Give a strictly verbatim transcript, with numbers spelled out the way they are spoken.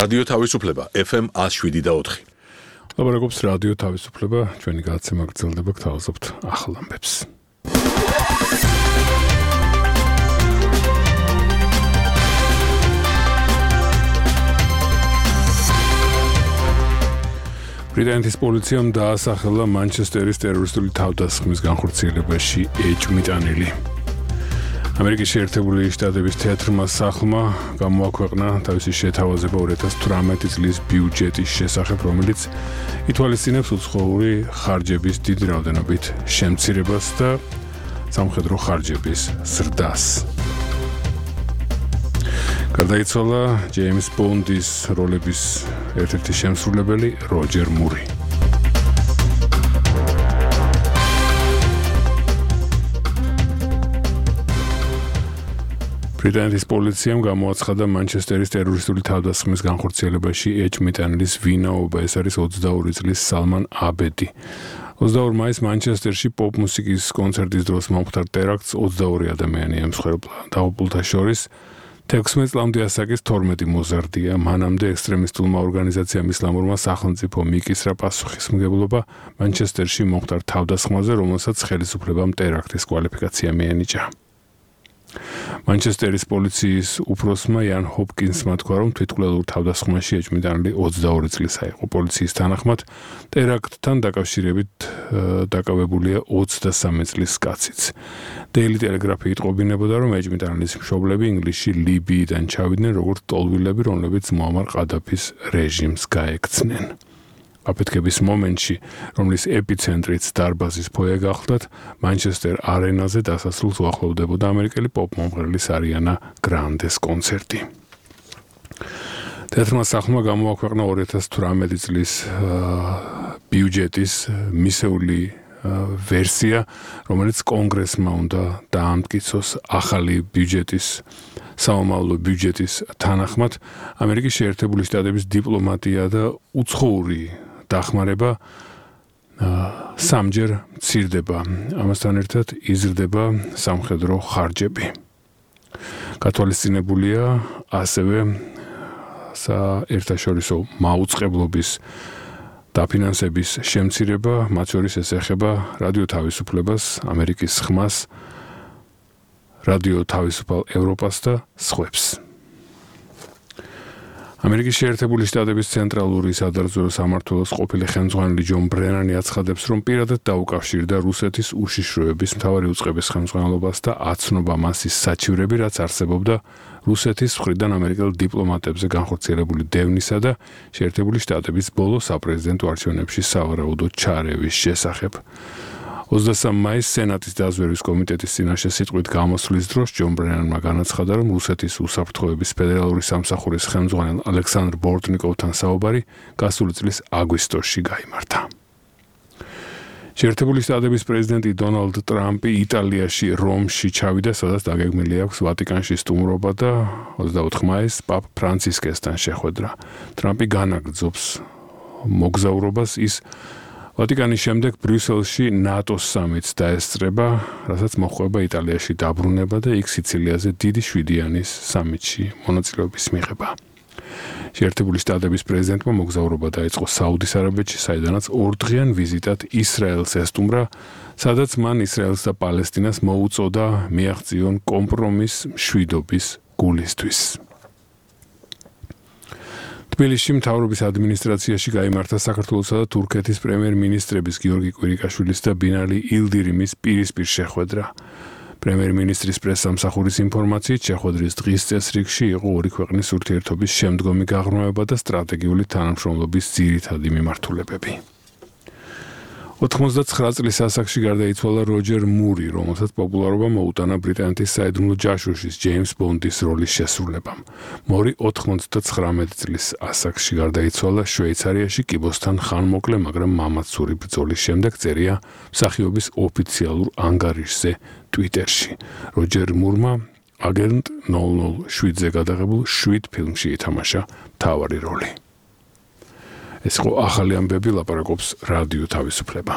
რადიო თავისუფლება F M one oh seven და four. ლაბორატორიის რადიო თავისუფლება ჩვენი გადაცემა გრძელდება გთავაზობთ ახალ ამბებს. ბრიტანეთის პოლიციამ დაასახელა მანჩესტერის ტერორისტული თავდასხმის განხორციელებაში ეჭვმიტანილი. ამერიკის შეერთებული შტატების თეატრმა სახლმა გამოაქვეყნა თავისი შეთავაზება two thousand eighteen წლის ბიუჯეტის შესახებ, რომელიც ითვალისწინებს უცხოური ხარჯების დიდ რაოდენობით შემცირებას და სამხედრო ხარჯების ზრდას. გარდაიცვალა ჯეიმს ბონდის როლების ერთ-ერთი შემსრულებელი როჯერ მური. ბრიტანეთის პოლიციამ გამოაცხადა მანჩესტერის ტერორისტული თავდასხმის განხორციელებაში ეჭვმიტანილის ვინაობა. ეს არის twenty-two წლის სალმან აბედი. twenty-four მაისს მანჩესტერში პოპ მუსიკის კონცერტის დროს მომხდარ ტერაქტს twenty-two ადამიანი ემსხვერპლა. დაღუპულთა შორის sixteen წლამდე ასაკის twelve მოზარდია. მანამდე ექსტრემისტულმა ორგანიზაციამ ისლამურმა სახელმწიფო მიკისრა პასუხისმგებლობა მანჩესტერში მომხდარ თავდასხმაზე, რომელსაც ხელისუფლებამ ტერაქტის კვალიფიკაცია მიენიჭა. მანჩესტერის პოლიციის უფროსმა იან ჰოპკინსმა თქვა, რომ თვითმკვლელურ თავდასხმაში ეჭვმიტანილი twenty-two წლისა იყო. პოლიციის თანახმად ტერაქტთან დაკავშირებით დაკავებულია twenty-three წლის კაციც. Daily Telegraph იტყობინებოდა, რომ ეჭვმიტანილის მშობლები ინგლისში ლიბიიდან ჩავიდნენ როგორც ტოლვილები, რომლებიც მუამარ ყადაფის რეჟიმს გაექცნენ. აფეთქების მომენტში, რომლის ეპიცენტრიც დარბაზის ფოიე გახლდათ, მანჩესტერ არენაზე დასასრულს უახლოვდებოდა ამერიკელი პოპ მომღერლის არიანა გრანდეს კონცერტი. თეატრმა სახლმა გამოაქვეყნა two thousand eighteen წლის ბიუჯეტის მისეული ვერსია, რომელიც კონგრესმა უნდა დაამტკიცოს. ახალი ბიუჯეტის საომავლო ბიუჯეტის თანახმად ამერიკის შეერთებული შტატების დიპლომატია და უცხოური დახმარება სამჯერ მცირდება. ამასთან ერთად იზრდება სამხედრო ხარჯები. გათვალისწინებულია ასევე საერთაშორისო მაუწყებლობის დაფინანსების შემცირება, მათ შორის ეს ეხება რადიო თავისუფლებას, ამერიკის ხმას, რადიო თავისუფალ ევროპას და სხვებს. ამერიკის შეერთებული შტატების ცენტრალური სადარწმუნო სამმართველოს ყოფილი ხელმძღვანელი ჯონ ბრენანი აცხადებს, რომ პირადად დაუკავშირდა რუსეთის უშიშროების მთავარი უწყების ხელმძღვანელობას და აცნობა მასის საჩივრები, რაც არსებობდა რუსეთის მხრიდან ამერიკელ დიპლომატებზე განხორციელებული დევნისა და შეერთებული შტატების ბოლო საპრეზიდენტო არჩევნებში სავარაუდო ჩარევის შესახებ. twenty-three მაისს სენატის დაზვერვის კომიტეტის წინაშე სიტყვით გამოსვლის დროს ჯონ ბრენანმა განაცხადა, რომ რუსეთის უსაფრთხოების ფედერალური სამსახურის ხელმძღვანელ ალექსანდრ ბორტნიკოვთან საუბარი გასული წლის აგვისტოში გაიმართა. შეერთებული შტატების პრეზიდენტი დონალდ ტრამპი იტალიაში რომში ჩავიდა, სადაც დაგეგმილი აქვს ვატიკანში სტუმრობა და twenty-four მაისს პაპ ფრანცისკესთან შეხვედრა. ტრამპი განაგრძობს მოგზაურობას, ის ვატიკანის შემდეგ ბრიუსელში ნატოს სამიტს დაესწრება, რასაც მოჰყვება იტალიაში დაბრუნება და იქ სიცილიაზე დიდი შვიდიანის სამიტში მონაწილეობის მიღება. შეერთებული შტატების პრეზიდენტმა მოგზაურობა დაიწყო საუდის არაბეთში, საიდანაც ორდღიან ვიზიტად ისრაელს ესტუმრა, სადაც მან ისრაელს და პალესტინას მოუწოდა მიაღწიონ კომპრომის მშვიდობის გულისთვის. თბილისში მთავრობის ადმინისტრაციაში გაიმართა საქართველოსა და თურქეთის პრემიერ-მინისტრების გიორგი კვირიკაშვილის და ბინალი ილდირიმის პირისპირ შეხვედრა. პრემიერ-მინისტრის პრესსამსახურის ინფორმაციით, შეხვედრის დღის წესრიგში იყო ორი ქვეყნის ურთიერთობის შემდგომი გაღრმავება და სტრატეგიული თანამშრომლობის ძირითადი მიმართულებები. ninety-nine წლის ასაკში გარდაიცვალა როჯერ მური, რომელსაც პოპულარობა მოუტანა ბრიტანეთის საიდუმლო ჯაშუშის ჯეიმს ბონდის როლის შესრულებამ. მური ninety-nine წლის ასაკში გარდაიცვალა შვეიცარიაში კიბოსთან ხანმოკლე, მაგრამ მამაცური ბრძოლის შემდეგ, წერია მსახიობის ოფიციალურ ანგარიშზე ტვიტერში. როჯერ მურმა აგენტ null null seven-ზე გადაღებულ seven ფილმში ითამაშა მთავარი როლი. ეს იყო ახალი ამბები, ლაპარაკობს რადიო თავისუფლება.